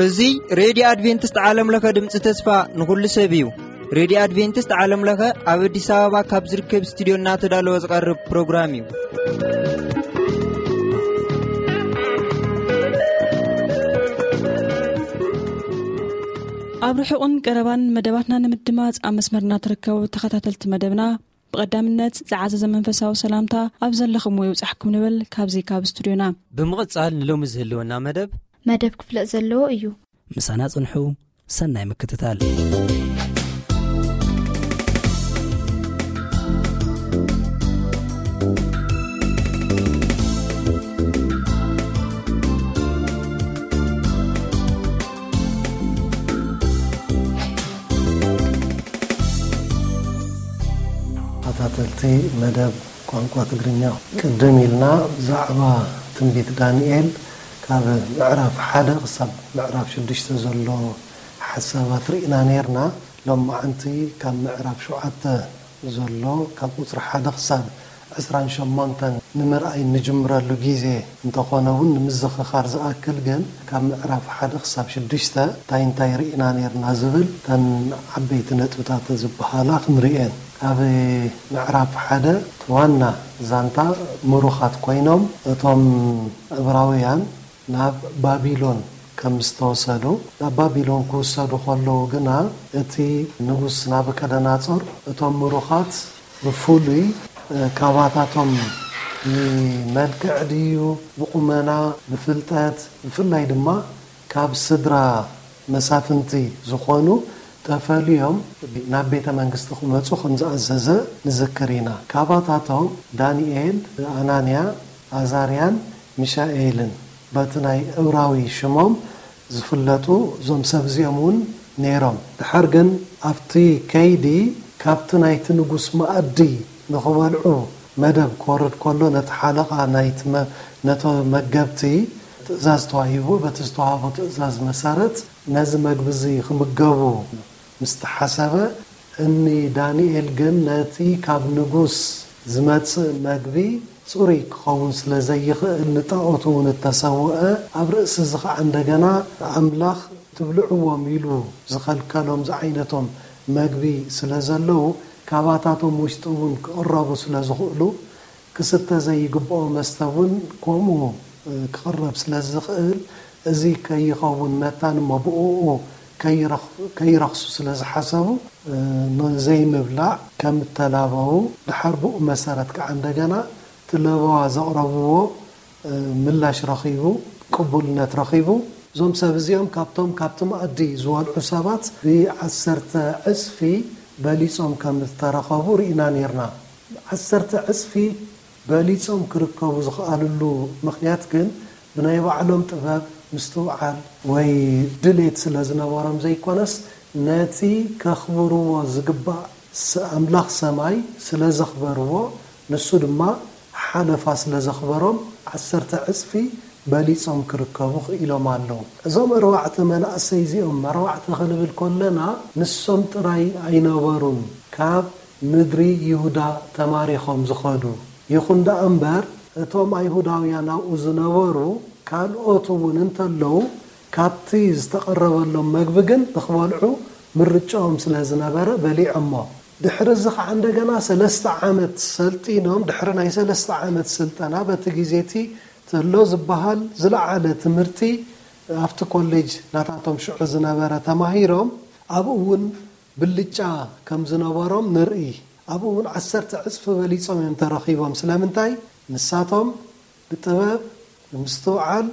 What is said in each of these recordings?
እዚ ሬድዮ ኣድቬንቲስት ዓለም ለኸ ድምፂ ተስፋ ንኹሉ ሰብ እዩ። ሬድዮ ኣድቬንቲስት ዓለም ለኸ ኣብ ኣዲስ ኣበባ ካብ ዝርከብ ስቱዲዮ እናተዳለወ ዝቐርብ ፕሮግራም እዩ። ኣብ ርሑቕን ቀረባን መደባትና ንምድማፅ ኣብ መስመርና ትርከቡ ተኸታተልቲ መደብና፣ ብቐዳምነት ዝዓዘዘ መንፈሳዊ ሰላምታ ኣብ ዘለኹምዎ ይብጻሕኩም ንብል ካብዚ ካብ ስቱድዮና። ብምቕጻል ንሎሚ ዝህልወና መደብ መደብ ክፍለጥ ዘለዎ እዩ። ምሳና ጽንሑ። ሰናይ ምክትታል። ተኸታተልቲ መደብ ቋንቋ ትግርኛ፣ ቅድም ኢልና ብዛዕባ ትንቢት ዳንኤል ካብ ምዕራፍ ሓደ ክሳብ ምዕራፍ ሽዱሽተ ዘሎ ሓሳባት ርኢና ነይርና። ሎማዓንቲ ካብ ምዕራፍ ሸውዓተ ዘሎ ካብ ቁጽሪ ሓደ ክሳብ ዕስራን ሸሞንተን ንምርኣይ እንጅምረሉ ግዜ እንተኾነ እውን፣ ንምዝኽኻር ዝኣክል ግን ካብ ምዕራፍ ሓደ ክሳብ ሽዱሽተ እንታይ እንታይ ርኢና ነይርና ዝብል እተን ዓበይቲ ነጥብታት ዝበሃላ ክንርእየን። ኣብ ምዕራፍ ሓደ ዋና ዛንታ ምሩኻት ኮይኖም እቶም ዕብራውያን ናብ ባቢሎን ከም ዝተወሰዱ፣ ናብ ባቢሎን ክውሰዱ ከለዉ ግና እቲ ንጉስ ናቡከደነጾር እቶም ምሩኻት ብፍሉይ፣ እ፣ ካባታቶም ብመልክዕ ድዩ፣ ብቑመና፣ ብፍልጠት፣ ብፍላይ ድማ ካብ ስድራ መሳፍንቲ ዝኾኑ ተፈልዮም ናብ ቤተ መንግስቲ ክመጹ ከም ዝኣዘዘ ንዝክር ኢና። ካባታቶም ዳንኤል፣ ኣናንያ፣ ኣዛርያን ሚሻኤልን በቲ ናይ ዕብራዊ ሽሞም ዝፍለጡ እዞም ሰብ እዚኦም እውን ነይሮም። ድሓር ግን ኣብቲ ከይዲ ካብቲ ናይቲ ንጉስ መኣዲ ንኽበልዑ መደብ ክወርድ ከሎ ነቲ ሓለቓ ናይቲ መ-፣ ነቶ መገብቲ ትእዛዝ ተዋሂቡ። በቲ ዝተዋህቦ ትእዛዝ መሰረት ነዚ መግቢ እዚ ክምገቡ ምስ ተሓሰበ፣ እኒ ዳንኤል ግን ነቲ ካብ ንጉስ ዝመጽእ መግቢ ጽሩይ ክኸውን ስለ ዘይኽእል፣ ንጣኦት እውን እተሰውአ፣ ኣብ ርእሲ እዚ ኸዓ እንደገና ኣምላኽ ትብልዕዎም ኢሉ ዝኸልከሎም ዝዓይነቶም መግቢ ስለ ዘለዉ፣ ካባታቶም ውሽጢ እውን ክቕረቡ ስለ ዝኽእሉ፣ ክስተ ዘይግብኦ መስተ እውን ከምኡ፣ እ፣ ክቕረብ ስለ ዝኽእል፣ እዚ ከይኸውን መታን እሞ ብእኡ ከይረኽ-፣ ከይረኽሱ ስለ ዝሓሰቡ፣ እ፣ ንዘይምብላዕ ከም እተላበዉ፣ ድሓር ብኡ መሰረት ከዓ እንደገና እቲ ለበዋ ዘቕረብዎ፣ እ፣ ምላሽ ረኺቡ፣ ቅቡልነት ረኺቡ። እዞም ሰብ እዚኦም ካብቶም ካብቲ መኣዲ ዝበልዑ ሰባት ብዓሰርተ ዕጽፊ በሊጾም ከም ዝተረኸቡ ርኢና ኔርና። ዓሰርተ ዕጽፊ በሊጾም ክርከቡ ዝኸኣልሉ ምኽንያት ግን ብናይ ባዕሎም ጥበብ፣ ምስትውዓል ወይ ድሌት ስለ ዝነበሮም ዘይኮነስ፣ ነቲ ከኽብርዎ ዝግባእ ስ-፣ ኣምላኽ ሰማይ ስለ ዘኽበርዎ፣ ንሱ ድማ ሓለፋ ስለ ዘኽበሮም፣ ዓሰርተ ዕጽፊ በሊጾም ክርከቡ ክኢሎም ኣለዉ። እዞም ኣርባዕተ መናእሰይ እዚኦም፣ ኣርባዕተ ክንብል ከለና፣ ንሶም ጥራይ ኣይነበሩን ካብ ምድሪ ይሁዳ ተማሪኾም ዝኸዱ። ይኹን ደኣ እምበር፣ እቶም ኣይሁዳውያን ኣብኡ ዝነበሩ ካልኦት እውን እንተለዉ፣ ካብቲ ዝተቐረበሎም መግቢ ግን ንኽበልዑ ምርጫኦም ስለ ዝነበረ በሊዖሞ። ድሕሪ እዚ ኸዓ እንደገና ሰለስተ ዓመት ሰልጢኖም፣ ድሕሪ ናይ ሰለስተ ዓመት ስልጠና፣ በቲ ግዜ እቲ ተሎ ዝበሃል ዝለዓለ ትምህርቲ ኣብቲ ኮሌጅ ናታቶም ሽዑ ዝነበረ ተማሂሮም፣ ኣብኡ እውን ብልጫ ከም ዝነበሮም ንርኢ። ኣብኡ እውን ዓሰርተ ዕጽፊ በሊጾም እዮም ተረኺቦም። ስለምንታይ? ንሳቶም ብጥበብ፣ ብምስትውዓል፣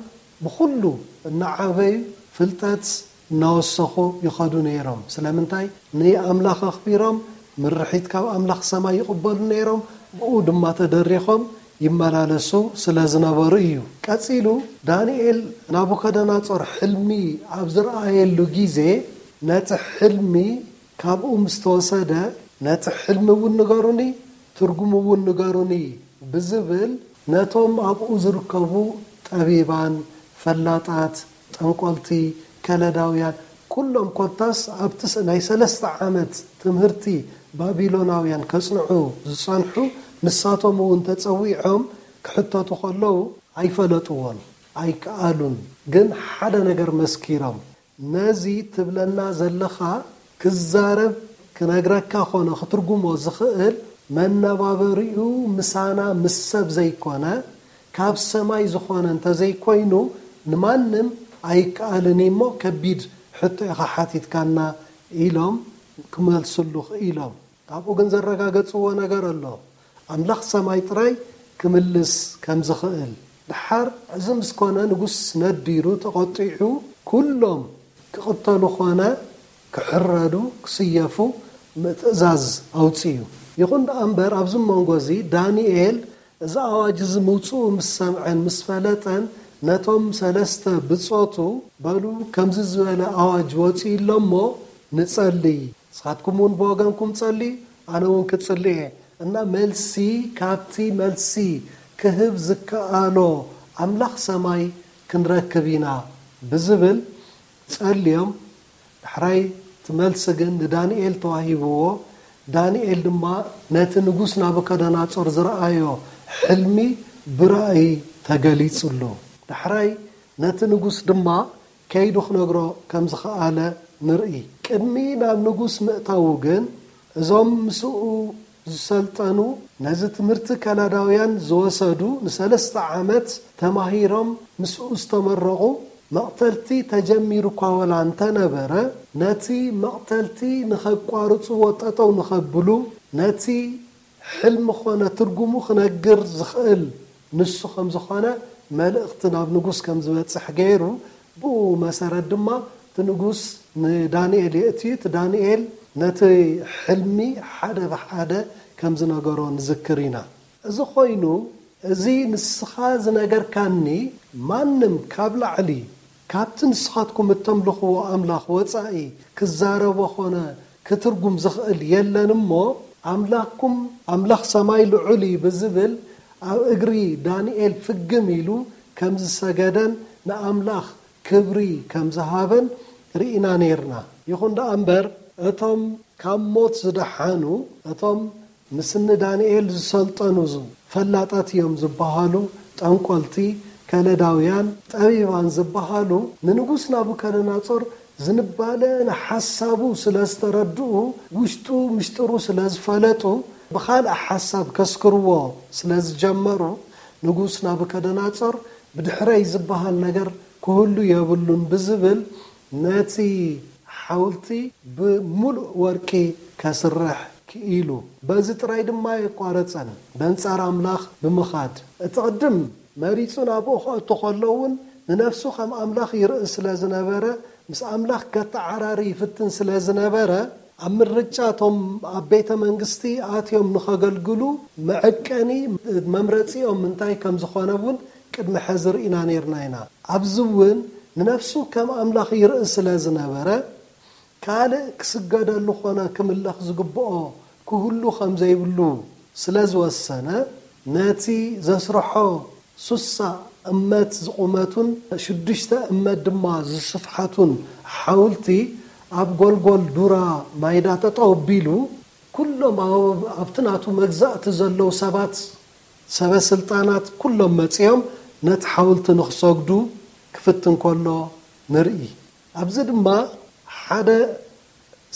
ብኹሉ እናዓበዩ፣ ፍልጠት እናወሰኹ ይኸዱ ነይሮም። ስለምንታይ? ንኣምላኽ ኣኽቢሮም፣ ምርሒት ካብ ኣምላኽ ሰማይ ይቕበሉ ነይሮም፣ ብኡ ድማ ተደሪኾም ይመላለሱ ስለ ዝነበሩ እዩ። ቀጺሉ፣ ዳንኤል ናቡከደነጾር ሕልሚ ኣብ ዝረኣየሉ ግዜ፣ ነቲ ሕልሚ ካብኡ ምስ ተወሰደ፣ ነቲ ሕልሚ እውን ንገሩኒ፣ ትርጉሙ እውን ንገሩኒ ብዝብል፣ ነቶም ኣብኡ ዝርከቡ ጠቢባን፣ ፈላጣት፣ ጠንቆልቲ፣ ከለዳውያን፣ ኩሎም ኮታስ ኣብቲ ስ-፣ ናይ ሰለስተ ዓመት ትምህርቲ ባቢሎናውያን ከጽንዑ ዝጸንሑ፣ ንሳቶም እውን ተጸዊዖም ክሕተቱ ከለዉ ኣይፈለጥዎን፣ ኣይከኣሉን። ግን ሓደ ነገር መስኪሮም፣ ነዚ ትብለና ዘለኻ ክዛረብ፣ ክነግረካ ኾነ ክትርጉሞ ዝኽእል፣ መነባበሪኡ ምሳና ምስ ሰብ ዘይኮነ፣ ካብ ሰማይ ዝኾነ እንተዘይኮይኑ ንማንም ኣይከኣልን እሞ ከቢድ ሕቶ ኢኻ ሓቲትካና ኢሎም ክመልስሉ ክኢሎም። ካብኡ ግን ዘረጋገጽዎ ነገር ኣሎ። ኣምላኽ ሰማይ ጥራይ ክምልስ ከም ዝኽእል። ደሓር እዚ ምስ ኮነ ንጉስ ነዲሩ ተቖጢዑ ኩሎም ክቕተሉ ኮነ ክሕረዱ ክስየፉ ትእዛዝ ኣውጺኡ። ይኹን ደኣ እምበር ኣብዚ መንጎ እዚ ዳንኤል እዚ ኣዋጅ እዚ ምውጽኡ ምስ ሰምዐን ምስ ፈለጠን ነቶም ሰለስተ ብጾቱ በሉ ከምዚ ዝበለ ኣዋጅ ወጺኡ ኣሎ እሞ ንጸልይ ንስኻትኩም እውን ብወገንኩም ጸልዩ፣ ኣነ እውን ክጽሊ እየ እና መልሲ ካብቲ መልሲ ክህብ ዝከኣሎ ኣምላኽ ሰማይ ክንረክብ ኢና ብዝብል ጸልዮም። ዳሕራይ እቲ መልሲ ግን ንዳንኤል ተዋሂብዎ። ዳንኤል ድማ ነቲ ንጉስ ናቡከደናጾር ዝረኣዮ ሕልሚ ብራእይ ተገሊጹሉ። ዳሕራይ ነቲ ንጉስ ድማ ከይዱ ክነግሮ ከም ዝኸኣለ ንርኢ። ቅድሚ ናብ ንጉስ ምእታዉ ግን እዞም ምስኡ ዝሰልጠኑ ነዚ ትምህርቲ ከላዳውያን ዝወሰዱ ንሰለስተ ዓመት ተማሂሮም ምስኡ ዝተመረቑ መቕተልቲ ተጀሚሩ እኳ ወላ እንተነበረ ነቲ መቕተልቲ ንኸቋርጽዎ ጠጠው ንኸብሉ ነቲ ሕልሚ ኾነ ትርጉሙ ክነግር ዝኽእል ንሱ ከም ዝኾነ መልእኽቲ ናብ ንጉስ ከም ዝበጽሕ ገይሩ ብኡ መሰረት ድማ እቲ ንጉስ ንዳንኤል የእትዩ። እቲ ዳንኤል ነቲ ሕልሚ ሓደ ብሓደ ከም ዝነገሮ ንዝክር ኢና። እዚ ኮይኑ እዚ ንስኻ ዝነገርካኒ ማንም ካብ ላዕሊ ካብቲ ንስኻትኩም እተምልኽዎ ኣምላኽ ወጻኢ ክዛረቦ ኾነ ክትርጉም ዝኽእል የለን እሞ ኣምላኽኩም ኣምላኽ ሰማይ ልዑል እዩ ብዝብል ኣብ እግሪ ዳንኤል ፍግም ኢሉ ከም ዝሰገደን ንኣምላኽ ክብሪ ከም ዝሃበን ርኢና ነይርና። ይኹን ደኣ እምበር እቶም ካብ ሞት ዝደሓኑ እቶም ምስ እኒ ዳንኤል ዝሰልጠኑ ፈላጣት እዮም ዝበሃሉ ጠንቆልቲ ከለዳውያን ጠቢባን ዝበሃሉ ንንጉስ ናቡከደናጾር ዝንባለ ንሓሳቡ ስለ ዝተረድኡ ውሽጡ ምሽጥሩ ስለ ዝፈለጡ ብኻልእ ሓሳብ ከስክርዎ ስለ ዝጀመሩ ንጉስ ናቡከደናጾር ብድሕረይ ዝበሃል ነገር ክህሉ የብሉን ብዝብል ነቲ ሓውልቲ ብምሉእ ወርቂ ከስርሕ ክኢሉ። በዚ ጥራይ ድማ ኣየቋረጸን፣ በንጻር ኣምላኽ ብምኻድ። እቲ ቅድም መሪጹ ናብኡ ክእቱ ከሎ እውን ንነፍሱ ከም ኣምላኽ ይርኢ ስለ ዝነበረ፣ ምስ ኣምላኽ ከተዓራሪ ይፍትን ስለ ዝነበረ፣ ኣብ ምርጫ እቶም ኣብ ቤተ መንግስቲ ኣትዮም ንኸገልግሉ መዐቀኒ መምረጺኦም እንታይ ከም ዝኾነ እውን ቅድሚ ሕዚ ርኢና ነይርና ኢና። ኣብዚ እውን ንነፍሱ ከም ኣምላኽ ይርኢ ስለ ዝነበረ፣ ካልእ ክስገደሉ ኾነ ክምለኽ ዝግብኦ ክህሉ ከም ዘይብሉ ስለ ዝወሰነ፣ ነቲ ዘስርሖ ሱሳ እመት ዝቑመቱን ሽዱሽተ እመት ድማ ዝስፍሓቱን ሓውልቲ ኣብ ጎልጎል ዱራ ማይዳ ጠጠው ኣቢሉ፣ ኩሎም ኣብ-፣ ኣብቲ ናቱ መግዛእቲ ዘለዉ ሰባት፣ ሰበ ስልጣናት ኩሎም መጺኦም ነቲ ሓውልቲ ንኽሰግዱ ክፍትን ከሎ ንርኢ። ኣብዚ ድማ ሓደ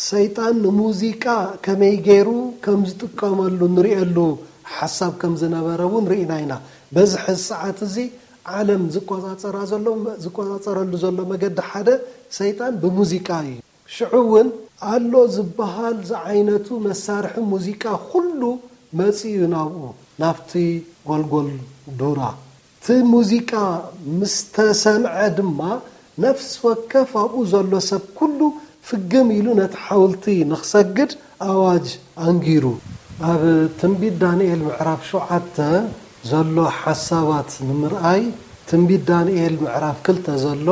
ሰይጣን ንሙዚቃ ከመይ ገይሩ ከም ዝጥቀመሉ ንሪኤሉ ሓሳብ ከም ዝነበረ እውን ርኢና ኢና። በዚ ሕዚ ሰዓት እዚ ዓለም ዝቆጻጸራ ዘሎ፣ ዝቆጻጸረሉ ዘሎ መገዲ ሓደ ሰይጣን ብሙዚቃ እዩ። ሽዑ እውን ኣሎ ዝበሃል ዝዓይነቱ መሳርሒ ሙዚቃ ኩሉ መጺኡ ናብኡ፣ ናብቲ ጎልጎል ዱራ። እቲ ሙዚቃ ምስ ተሰምዐ ድማ፣ ነፍሲ ወከፍ ኣብኡ ዘሎ ሰብ ኩሉ ፍግም ኢሉ ነቲ ሓውልቲ ንኽሰግድ ኣዋጅ ኣንጊሩ። ኣብ ትንቢት ዳንኤል ምዕራፍ ሸውዓተ ዘሎ ሓሳባት ንምርኣይ፣ ትንቢት ዳንኤል ምዕራፍ ክልተ ዘሎ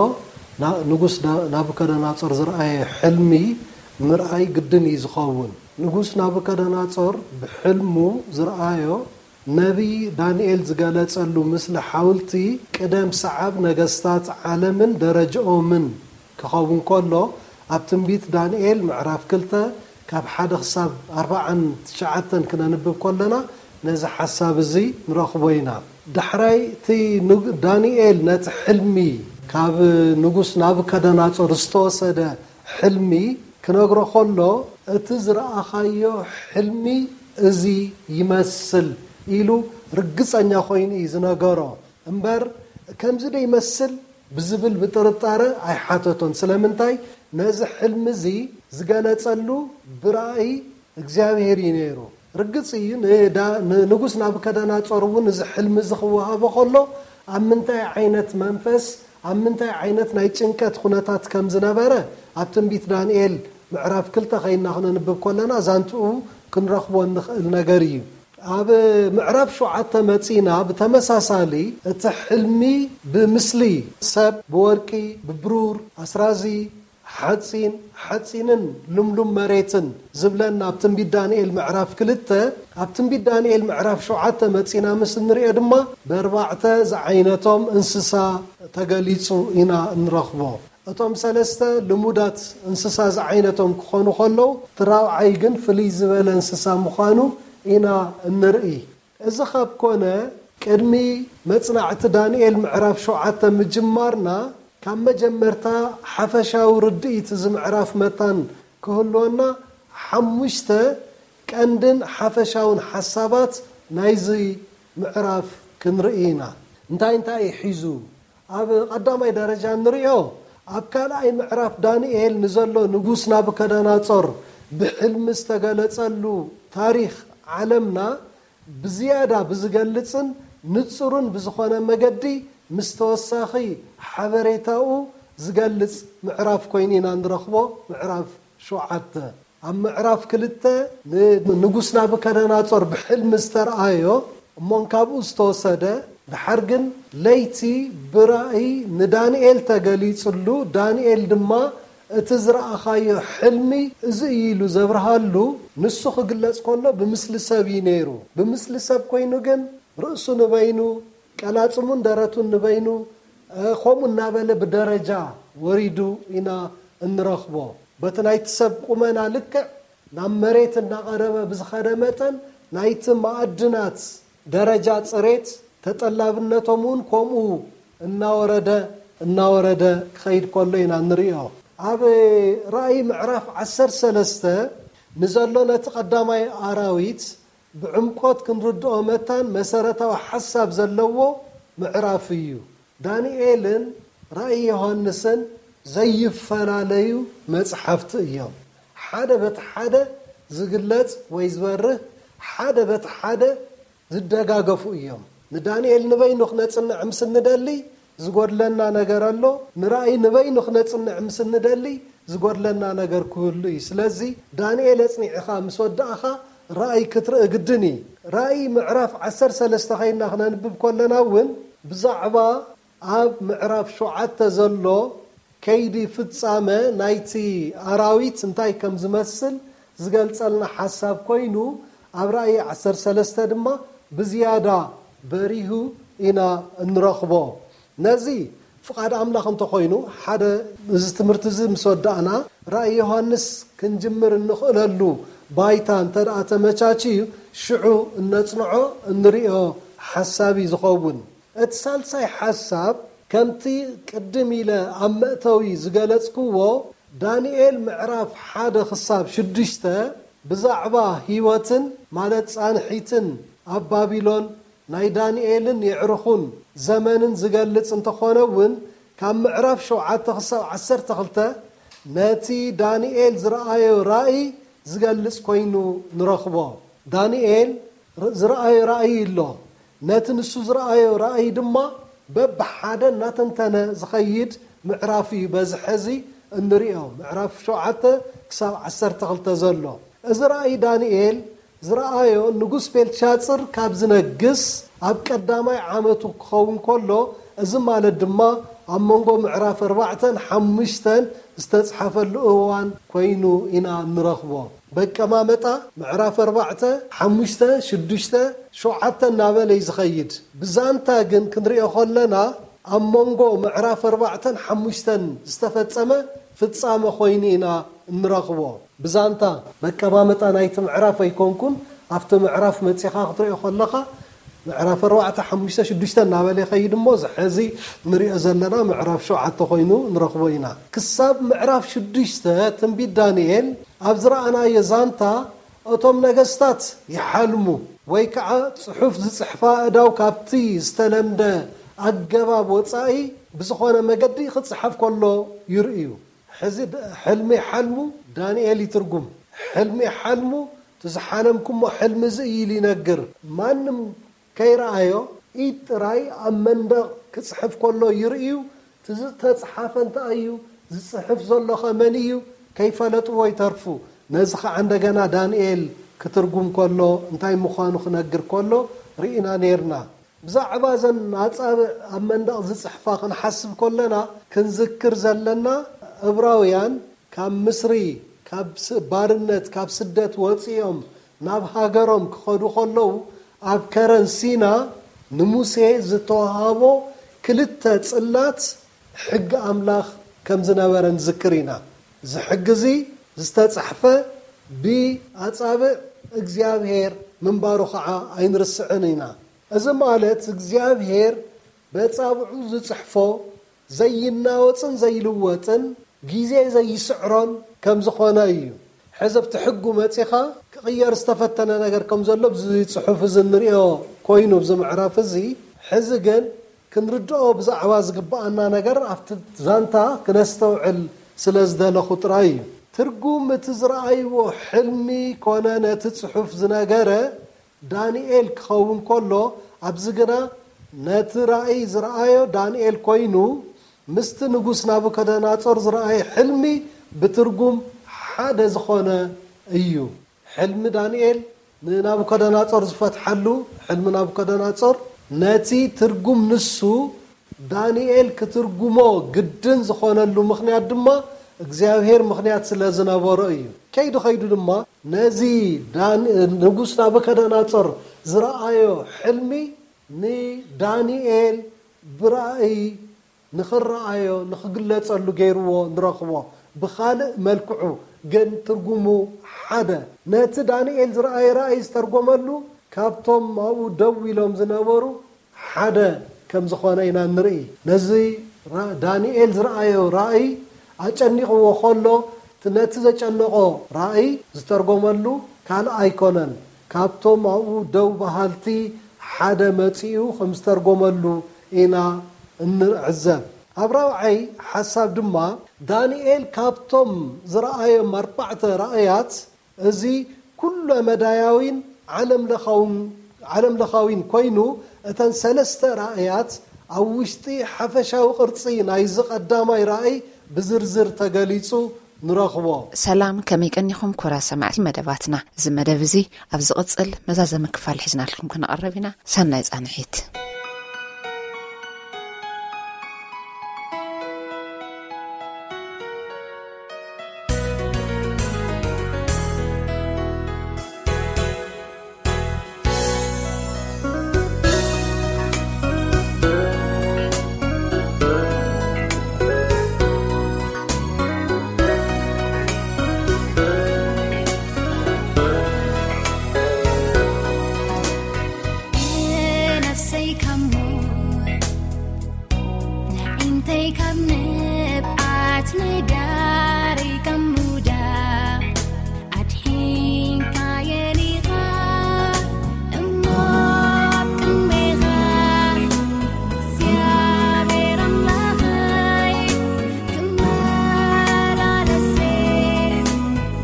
ና-፣ ንጉስ ዳ-፣ ናቡከደነጾር ዝረኣየ ሕልሚ ምርኣይ ግድን እዩ ዝኸውን። ንጉስ ናቡከደነጾር ብሕልሙ ዝረኣዮ ነቢይ ዳንኤል ዝገለጸሉ ምስሊ ሓውልቲ ቅደም ሰዓብ ነገስታት ዓለምን ደረጃኦምን ክኸውን ከሎ፣ ኣብ ትንቢት ዳንኤል ምዕራፍ ክልተ ካብ ሓደ ክሳብ ኣርባዓን ትሽዓተን ክነንብብ ከለና ነዚ ሓሳብ እዚ ንረኽቦ ኢና። ዳሕራይ እቲ ንግ- ዳንኤል ነቲ ሕልሚ ካብ ንጉስ ናቡከደናጾር ዝተወሰደ ሕልሚ ክነግሮ ከሎ፣ "እቲ ዝረኣኻዮ ሕልሚ እዚ ይመስል" ኢሉ ርግጸኛ ኮይኑ እዩ ዝነገሮ። እምበር ከምዚ ዶ ይመስል ብዝብል ብጥርጣረ ኣይሓተቶን። ስለምንታይ? ነዚ ሕልሚ እዚ ዝገለጸሉ ብራእይ እግዚኣብሔር እዩ ነይሩ። ርግጽ እዩ፣ ንዳ- ንንጉስ ናቡከደናጾር እውን እዚ ሕልሚ እዚ ክወሃቦ ከሎ ኣብ ምንታይ ዓይነት መንፈስ፣ ኣብ ምንታይ ዓይነት ናይ ጭንቀት ኩነታት ከም ዝነበረ ኣብ ትንቢት ዳንኤል ምዕራፍ ክልተ ከይና ክነንብብ ከለና ዛንትኡ ክንረኽቦ እንኽእል ነገር እዩ። ኣብ ምዕራፍ ሸውዓተ መጺና ብተመሳሳሊ እቲ ሕልሚ ብምስሊ ሰብ፣ ብወርቂ፣ ብብሩር፣ ኣስራዚ፣ ሓጺን፣ ሓጺንን ልምሉም መሬትን ዝብለና ኣብ ትንቢት ዳንኤል ምዕራፍ ክልተ፣ ኣብ ትንቢት ዳንኤል ምዕራፍ ሸውዓተ መጺና ምስ እንሪኦ ድማ ብኣርባዕተ ዝዓይነቶም እንስሳ ተገሊጹ ኢና እንረኽቦ። እቶም ሰለስተ ልሙዳት እንስሳ ዝዓይነቶም ክኾኑ ከለዉ፣ እቲ ራብዓይ ግን ፍልይ ዝበለ እንስሳ ምዃኑ ኢና እንርኢ። እዚ ካብ ኮነ፣ ቅድሚ መጽናዕቲ ዳንኤል ምዕራፍ ሸውዓተ ምጅማርና፣ ካብ መጀመርታ ሓፈሻዊ ርድኢት እዚ ምዕራፍ መታን ክህልወና፣ ሓሙሽተ ቀንድን ሓፈሻውን ሓሳባት ናይዚ ምዕራፍ ክንርኢ ኢና። እንታይ እንታይ እዩ ሒዙ? ኣብ ቀዳማይ ደረጃ እንርእዮ፣ ኣብ ካልኣይ ምዕራፍ ዳንኤል ንዘሎ ንጉስ ናቡከደናጾር ብሕልሚ ዝተገለጸሉ ታሪኽ ዓለምና ብዝያዳ ብዝገልጽን ንጹርን ብዝኾነ መገዲ ምስ ተወሳኺ ሓበሬታኡ ዝገልጽ ምዕራፍ ኮይኑ ኢና ንረኽቦ። ምዕራፍ ሸውዓተ። ኣብ ምዕራፍ ክልተ ንንጉስ ናቡከደናጾር ብሕልሚ ዝተርኣዮ እሞን ካብኡ ዝተወሰደ፣ ድሓር ግን ለይቲ ብራእይ ንዳንኤል ተገሊጽሉ፣ ዳንኤል ድማ እቲ ዝረኣኻዮ ሕልሚ እዚ እዩ ኢሉ ዘብርሃሉ። ንሱ ክግለጽ ከሎ ብምስሊ ሰብ እዩ ነይሩ። ብምስሊ ሰብ ኮይኑ ግን ርእሱ ንበይኑ፣ ቀላጽሙን ደረቱን ንበይኑ፣ እ፣ ከምኡ እናበለ ብደረጃ ወሪዱ ኢና እንረኽቦ። በቲ ናይቲ ሰብ ቁመና ልክዕ ናብ መሬት እናቐረበ ብዝኸደ መጠን፣ ናይቲ መኣድናት ደረጃ ጽሬት ተጠላብነቶም እውን ከምኡ እናወረደ፣ እናወረደ ክኸይድ ከሎ ኢና እንርእዮ። ኣብ ራእይ ምዕራፍ ዓሰርተ ሰለስተ ንዘሎ ነቲ ቀዳማይ ኣራዊት ብዕምቆት ክንርድኦ መታን መሰረታዊ ሓሳብ ዘለዎ ምዕራፍ እዩ። ዳንኤልን ራእይ ዮሃንስን ዘይፈላለዩ መጽሓፍቲ እዮም። ሓደ በቲ ሓደ ዝግለጽ ወይ ዝበርህ፣ ሓደ በቲ ሓደ ዝደጋገፉ እዮም። ንዳንኤል ንበይኑ ክነጽንዕ ምስ እንደሊ ዝጎድለና ነገር ኣሎ። ንራእይ ንበይኑ ክነጽንዕ ምስ እንደሊ ዝጎድለና ነገር ክህሉ እዩ። ስለዚ ዳንኤል ኣጽኒዕኻ ምስ ወዳእኻ ራእይ ክትርኢ ግድን እዩ። ራእይ ምዕራፍ ዓሰርተ ሰለስተ ከይና ክነንብብ ከለና እውን ብዛዕባ ኣብ ምዕራፍ ሸውዓተ ዘሎ ከይዲ ፍጻመ ናይቲ ኣራዊት እንታይ ከም ዝመስል ዝገልጸልና ሓሳብ ኮይኑ፣ ኣብ ራእይ ዓሰርተ ሰለስተ ድማ ብዝያዳ በሪሁ ኢና እንረኽቦ። ነዚ ፍቓድ ኣምላኽ እንተኾይኑ፣ ሓደ እዚ ትምህርቲ እዚ ምስ ወዳእና፣ ራእይ ዮሃንስ ክንጅምር እንኽእለሉ ባይታ እንተ ደኣ ተመቻችዩ፣ ሽዑ እነጽንዖ እንርእዮ ሓሳብ እዩ ዝኸውን። እቲ ሳልሳይ ሓሳብ፣ ከምቲ ቅድም ኢለ ኣብ መእተዊ ዝገለጽክዎ፣ ዳንኤል ምዕራፍ ሓደ ክሳብ ሽዱሽተ ብዛዕባ ህይወትን፣ ማለት ጻንሒትን ኣብ ባቢሎን ናይ ዳንኤልን የዕሩኹን ዘመንን ዝገልጽ እንተኾነ እውን፣ ካብ ምዕራፍ ሸውዓተ ክሳብ ዓሰርተ ክልተ ነቲ ዳንኤል ዝረኣዮ ራእይ ዝገልጽ ኮይኑ ንረኽቦ። ዳንኤል ር-፣ ዝረኣዮ ራእይ ኣሎ። ነቲ ንሱ ዝረኣዮ ራእይ ድማ በብሓደ እናተንተነ ዝኸይድ ምዕራፍ እዩ በዚ ሕዚ እንሪኦ፣ ምዕራፍ ሸውዓተ ክሳብ ዓሰርተ ክልተ ዘሎ። እዚ ራእይ ዳንኤል ዝረኣዮ ንጉስ ቤልሻጽር ካብ ዝነግስ ኣብ ቀዳማይ ዓመቱ ክኸውን ከሎ፣ እዚ ማለት ድማ ኣብ መንጎ ምዕራፍ ኣርባዕተን ሓሙሽተን ዝተጽሓፈሉ እዋን ኮይኑ ኢና እንረኽቦ። በቀማመጣ ምዕራፍ ኣርባዕተ፣ ሓሙሽተ፣ ሽዱሽተ፣ ሸውዓተ እናበለ እዩ ዝኸይድ። ብዛንታ ግን ክንሪኦ ከለና ኣብ መንጎ ምዕራፍ ኣርባዕተን ሓሙሽተን ዝተፈጸመ ፍጻመ ኮይኑ ኢና እንረኽቦ። ብዛንታ መቀማመጣ ናይቲ ምዕራፍ ኣይኮንኩን፣ ኣብቲ ምዕራፍ መጺኻ ክትሪኦ ከለኻ ምዕራፍ ኣርባዕተ፣ ሓሙሽተ፣ ሽዱሽተ እናበለ ይኸይድ እሞ፣ እዚ ሕዚ ንሪኦ ዘለና ምዕራፍ ሸውዓተ ኮይኑ ንረኽቦ ኢና። ክሳብ ምዕራፍ ሽዱሽተ ትንቢት ዳንኤል ኣብ ዝረኣናዮ ዛንታ፣ እቶም ነገስታት ይሓልሙ ወይ ከዓ ጽሑፍ ዝጽሕፋ ኣእዳው ካብቲ ዝተለምደ ኣገባብ ወጻኢ ብዝኾነ መገዲ ክጽሓፍ ከሎ ይርእዩ። ሕዚ ድ-፣ ሕልሚ ይሓልሙ፣ ዳንኤል ይትርጉም። ሕልሚ ይሓልሙ፣ እቲ ዝሓለምኩሞ ሕልሚ እዚ እዩ ኢሉ ይነግር። ማንም ከይረኣዮ ኢድ ጥራይ ኣብ መንደቕ ክጽሕፍ ከሎ ይርእዩ። እቲ ዝተጽሓፈ እንታይ እዩ? ዝጽሕፍ ዘሎ ኸ መን እዩ? ከይፈለጥዎ ይተርፉ። ነዚ ኸዓ እንደገና ዳንኤል ክትርጉም ከሎ፣ እንታይ ምዃኑ ክነግር ከሎ ርኢና ኔርና። ብዛዕባ እዘን ኣጻብዕ ኣብ መንደቕ ዝጽሕፋ ክንሓስብ ከለና፣ ክንዝክር ዘለና፣ ዕብራውያን ካብ ምስሪ፣ ካብ ስ-፣ ባርነት፣ ካብ ስደት ወጺኦም ናብ ሃገሮም ክኸዱ ከለዉ፣ ኣብ ከረን ሲና ንሙሴ ዝተዋሃቦ ክልተ ጽላት ሕጊ ኣምላኽ ከም ዝነበረ ንዝክር ኢና። እዚ ሕጊ እዚ ዝተጻሕፈ ብኣጻብዕ እግዚኣብሔር ምንባሩ ኸዓ ኣይንርስዕን ኢና። እዚ ማለት እግዚኣብሔር በጻብዑ ዝጽሕፎ ዘይናወጽን ዘይልወጥን ግዜ ዘይስዕሮን ከም ዝኾነ እዩ። ሕዚ ኣብቲ ሕጉ መጺኻ ክቕየር ዝተፈተነ ነገር ከም ዘሎ ኣብዚ ጽሑፍ እዚ እንርእዮ ኮይኑ ኣብዚ ምዕራፍ እዚ፣ ሕዚ ግን ክንርድኦ ብዛዕባ ዝግብኣና ነገር ኣብቲ ዛንታ ክነስተውዕል ስለ ዝደለኹ ጥራይ እዩ። ትርጉም እቲ ዝረኣይዎ ሕልሚ ኮነ ነቲ ጽሑፍ ዝነገረ ዳንኤል ክኸውን ከሎ፣ ኣብዚ ግና ነቲ ራእይ ዝረኣዮ ዳንኤል ኮይኑ፣ ምስቲ ንጉስ ናቡከደናጾር ዝረኣየ ሕልሚ ብትርጉም ሓደ ዝኾነ እዩ። ሕልሚ ዳንኤል ንናቡከደናጾር ዝፈትሓሉ፣ ሕልሚ ናቡከደናጾር ነቲ ትርጉም ንሱ ዳንኤል ክትርጉሞ ግድን ዝኾነሉ ምኽንያት ድማ እግዚኣብሔር ምኽንያት ስለ ዝነበሮ እዩ። ከይዱ ከይዱ ድማ ነዚ ዳን-፣ ንጉስ ናቡከደናጾር ዝረኣዮ ሕልሚ ንዳንኤል ብራእይ ንኽረኣዮ፣ ንኽግለጸሉ ገይርዎ ንረኽቦ። ብኻልእ መልክዑ ግን ትርጉሙ ሓደ። ነቲ ዳንኤል ዝረኣየ ራእይ ዝተርጎመሉ ካብቶም ኣብኡ ደው ኢሎም ዝነበሩ ሓደ ከም ዝኾነ ኢና ንርኢ። ነዚ ራ-፣ ዳንኤል ዝረኣዮ ራእይ ኣጨኒቕዎ ከሎ፣ እቲ ነቲ ዘጨነቖ ራእይ ዝተርጎመሉ ካልእ ኣይኮነን። ካብቶም ኣብኡ ደው በሃልቲ ሓደ መጺኡ ከም ዝተርጎመሉ ኢና እንዕዘብ። ኣብ ራብዓይ ሓሳብ ድማ፣ ዳንኤል ካብቶም ዝረኣዮም ኣርባዕተ ራእያት፣ እዚ ኩለ መዳያዊን ዓለም ለኻውን፣ ዓለም ለኻዊን ኮይኑ፣ እተን ሰለስተ ራእያት ኣብ ውሽጢ ሓፈሻዊ ቅርጺ ናይዚ ቀዳማይ ራእይ ብዝርዝር ተገሊጹ ንረኽቦ። ሰላም፣ ከመይ ቀኒኹም ክቡራት ሰማዕቲ መደባትና? እዚ መደብ እዚ ኣብ ዝቕጽል መዛዘሚ ክፋል ሒዝናልኩም ክንቐርብ ኢና። ሰናይ ጻንሒት። ነፍሰይ ካብ ሞት፣ ንዒንተይ ካብ ንብዓት፣ ነጋረይ ካብ ምውዳቕ ኣድሒንካየን ኢኻ እሞ ኣብ ቅድሜኻ እግዚኣብሔር ኣምላኸይ ክመላለስ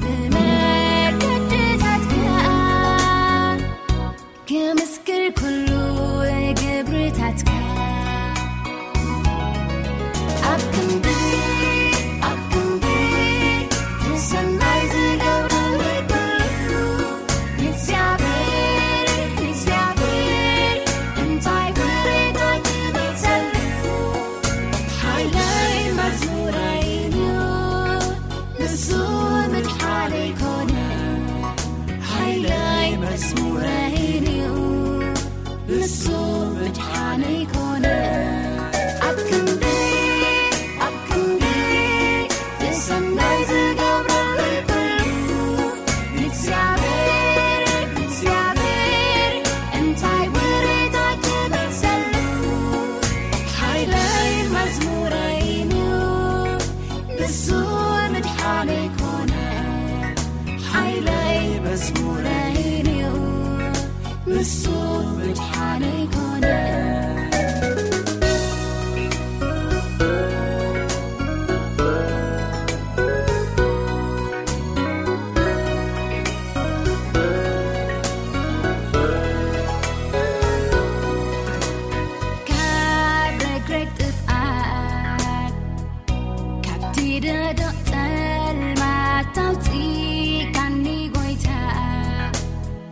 ብመገድታትካ ክምስክር ኩሉ ግብርታትካ። ኣብ ክንዲ፣ ኣብ ክንዲ ንሰናይ ዝገብረለይ ኩሉ፣ ንእግዚኣብሔር፣ ንእግዚኣብሔር እንታይ ውሬታ ክመልሰሉ? ሓይለይ መዝሙረይን እዩ፣ ንሱ ምድሓነይ ኮነ። ሓይለይ መዝሙረይን እዩ፣ ንሱ ምድሓነይ ኮነ። ኣብ ክንዲ፣ ኣብ ክንዲ ብሰናይ ዝገብረለይ ኩሉ፣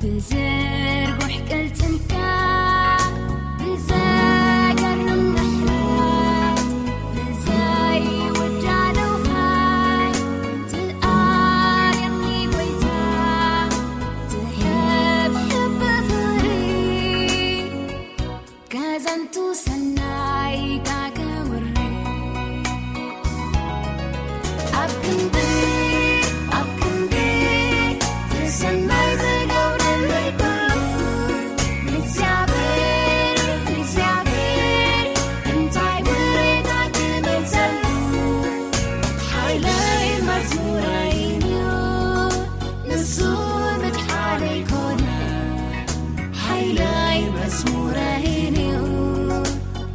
ብዝርጉሕ ቅልጽምካ፣ ብዘገርም ምሕረት፣ ብዘይውዳደው ሓይል ትኣልየኒ ጎይታ፣ ትሕብሕብ ብፍቕሪ። ከዘንቱ ሰናይካ ከውሪ ኣብ ክንዲ፣ ኣብ ክንዲ እቲ ሰናይ ዝገብረለይ ኩሉ፣ ንእግዚኣብሔር፣ ንእግዚኣብሔር እንታይ ውሬታ ክመልሰሉ? ሓይለይ መዝሙረይን'ዩ፣ ንሱ ምድሓነይ ኮነ። ሓይለይ መዝሙረይን'ዩ፣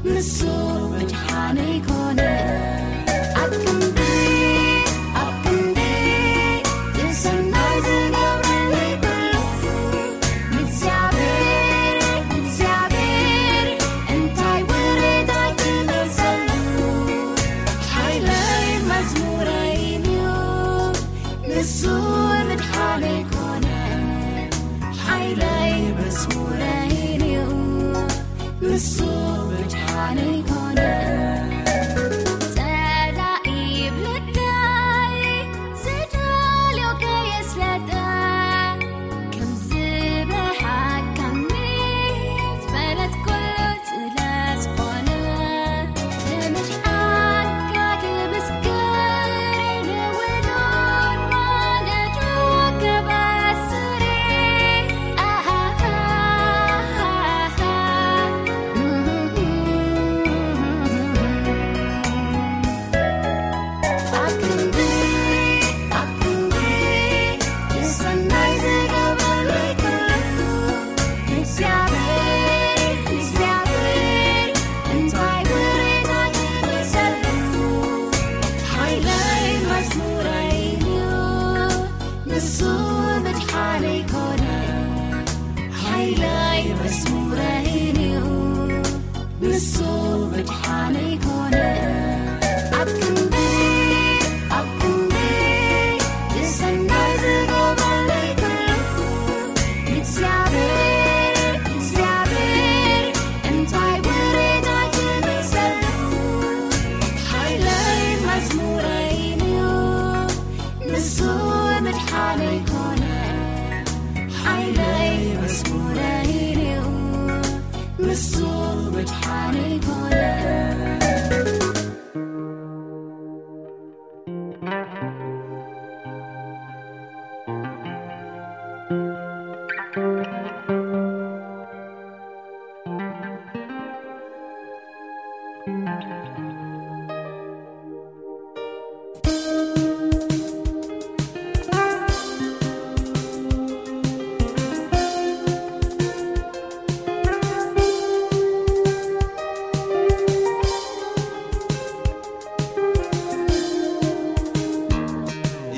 ንሱ ምድሓነይ ኮነ። ኣብ ክንዲ፣ ኣብ ክንዲ እቲ ሰናይ ዝገብረለይ ኩሉ፣ ንእግዚኣብሔር፣ ንእግዚኣብሔር እንታይ ውሬታ ክመልሰሉ? ሓይለይ መዝሙረይን'ዩ፣ ንሱ ምድሓነይ ኮነ። ሓይለይ መዝሙረይን'ዩ፣ ንሱ ምድሓነይ ኮነ። ጸላኢ ብልበይ ዝደልዮ ከየስለጠ፣ ከም ዝብርሃካኒ ዝፈለጥኩሉ ስለ ዝኾነ፣ ንምድሓንካ ክምስክር ንውሉድ ማለት ከበስሪ። ኣሃሃሃሃ። ኣብ ክንዲ፣ ኣብ ክንዲ እቲ ሰናይ ዝገበረለይ ኩሉ፣ ንእግዚኣብሔር፣ ንእግዚኣብሔር እንታይ ውሬታ ክመልሰሉ? ሓይለይ መዝሙረይን'ዩ፣ ንሱ ምድሓነይ ኮነ። ሓይለይ መዝሙረይን'ዩ፣ ንሱ ምድሓነይ ኮነ። ኣብ ክንዲ፣ ኣብ ክንዲ እቲ ሰናይ ዝገበረለይ ኩሉ፣ ንእግዚኣብሔር፣ ንእግዚኣብሔር እንታይ ውሬታ ክመልሰሉ? ሓይለይ መዝሙረይን'ዩ፣ ንሱ ምድሓነይ ኮነ። ሓይለይ መዝሙረይን'ዩ፣ ንሱ ምድሓነይ ኮነ።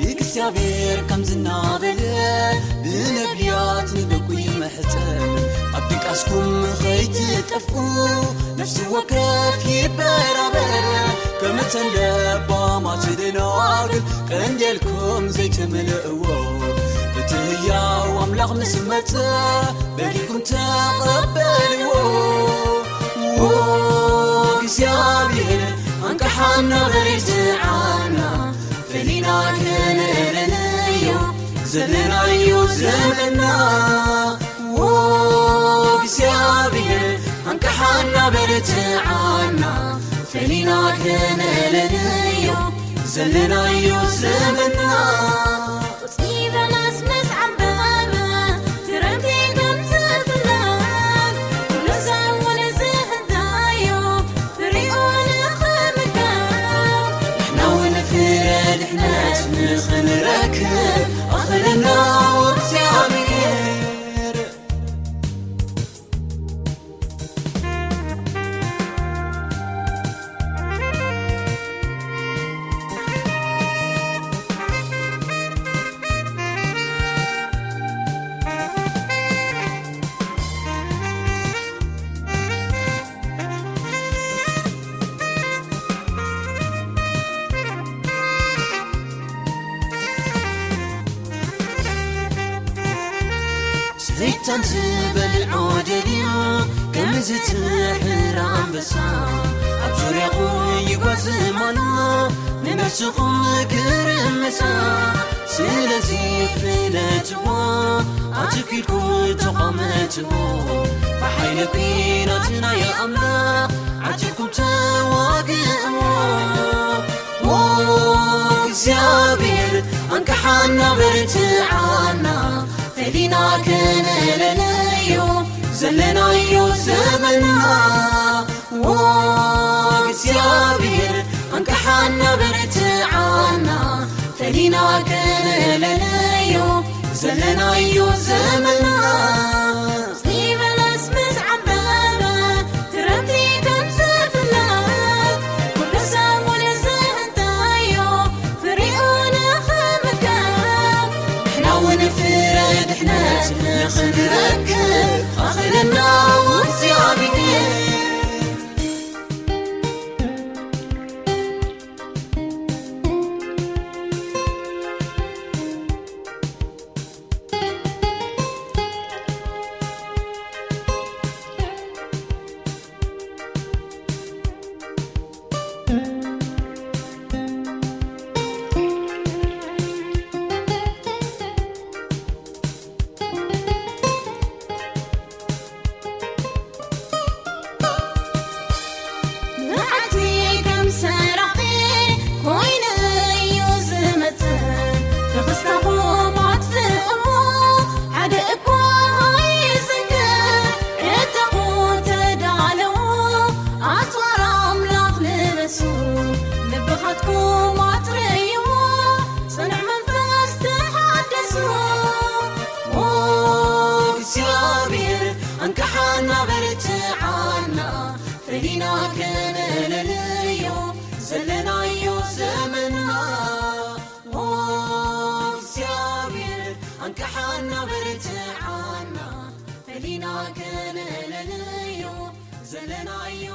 እግዚኣብሔር ከም ዝናበለ ብነቢያት ንደቁ ይምሕጸን፣ ኣብ ድቃስኩም ኸይትጠፍኡ ነፍሲ ወከፍ ይበራበር። ከም እተን ለባማት ደናግል ቀንዴልኩም ዘይትምልእዎ፣ እቲ ህያው ኣምላኽ ምስ መጸ በሊኩም ተቐበልዎ። ዎ እግዚኣብሔር፣ ኣንቅሓና በርትዓና፣ ፈሊና ክንእለንዮ ዘለናዮ ዘመንና። ዎ እግዚኣብሔር፣ ኣንቅሓና በርትዓና፣ ፈሊና ክንእለንዮ ዘለናዮ ዘመንና። ቆጽሊ በለስ ምስ ዓምበበ፣ ክረምቲ ከም ዝፍለግ፣ ኩሉ ሰብ እውን ዝህዳዮ ፍሪኡ ንኽምገብ፣ ንሕና እውን ፍረ ድሕነት ንኽንረክብ፣ ኣኽለና እግዚኣብሔር። ሰይጣን ዝበልዖ ደልዩ ከም ዝትሕር ኣንበሳ ኣብ ዙርያኹም ይጓዝም ኣሎ፣ ንነፍስኹም ክርምሳ። ስለዚ ፍለጥዎ፣ ኣትኪልኩም ተቐመጥዎ፣ ብሓይሊ ኲናት ናይ ኣምላኽ ዓቲብኩም ተዋግእዎ። ኦ እግዚኣብሔር፣ ኣንቅሓና በርትዓና፣ ፈሊና ከነለለዮ ዘለናዮ ዘመንና። ኦ እግዚኣብሔር፣ ኣንቅሓና በርትዓና፣ ፈሊና ከነለለዮ ዘለናዮ ዘመንና። ዘይበለስ ምስ ዓምበበ፣ ክረምቲ ከም ዝፍለጥ፣ ኩሉ ሰብ ወለ ዝእንታዮ ፍሪኡ ንኽምከብ፣ ንሕና እውን ፍረ ድሕነት ንኽንረክብ ኣኽለና እግዚኣብሔር። መዓልቲ ከም ሰራቒ ኮይኑ እዩ ዝመጽእ፣ ተኽስታኹም ኣጥፍእዎ፣ ሓደ እኳ ኣይዝንግዕ። ዕጥቑ ተዳለዉ፣ ኣጽዋር ኣምላኽ ልበሱ፣ ልብኻትኩም ኣጽርይዎ፣ ጽኑዕ መንፈስ ተሓደሱ። ኦ እግዚኣብሔር፣ ኣንቅሓና በርትዓና፣ ፈሊና ከነለልዮ ዘለናዮ ዘመንና። ኦ እግዚኣብሔር፣ ኣንቅሓና በርትዓና፣ ፈሊና ከነለልዮ ዘለናዮ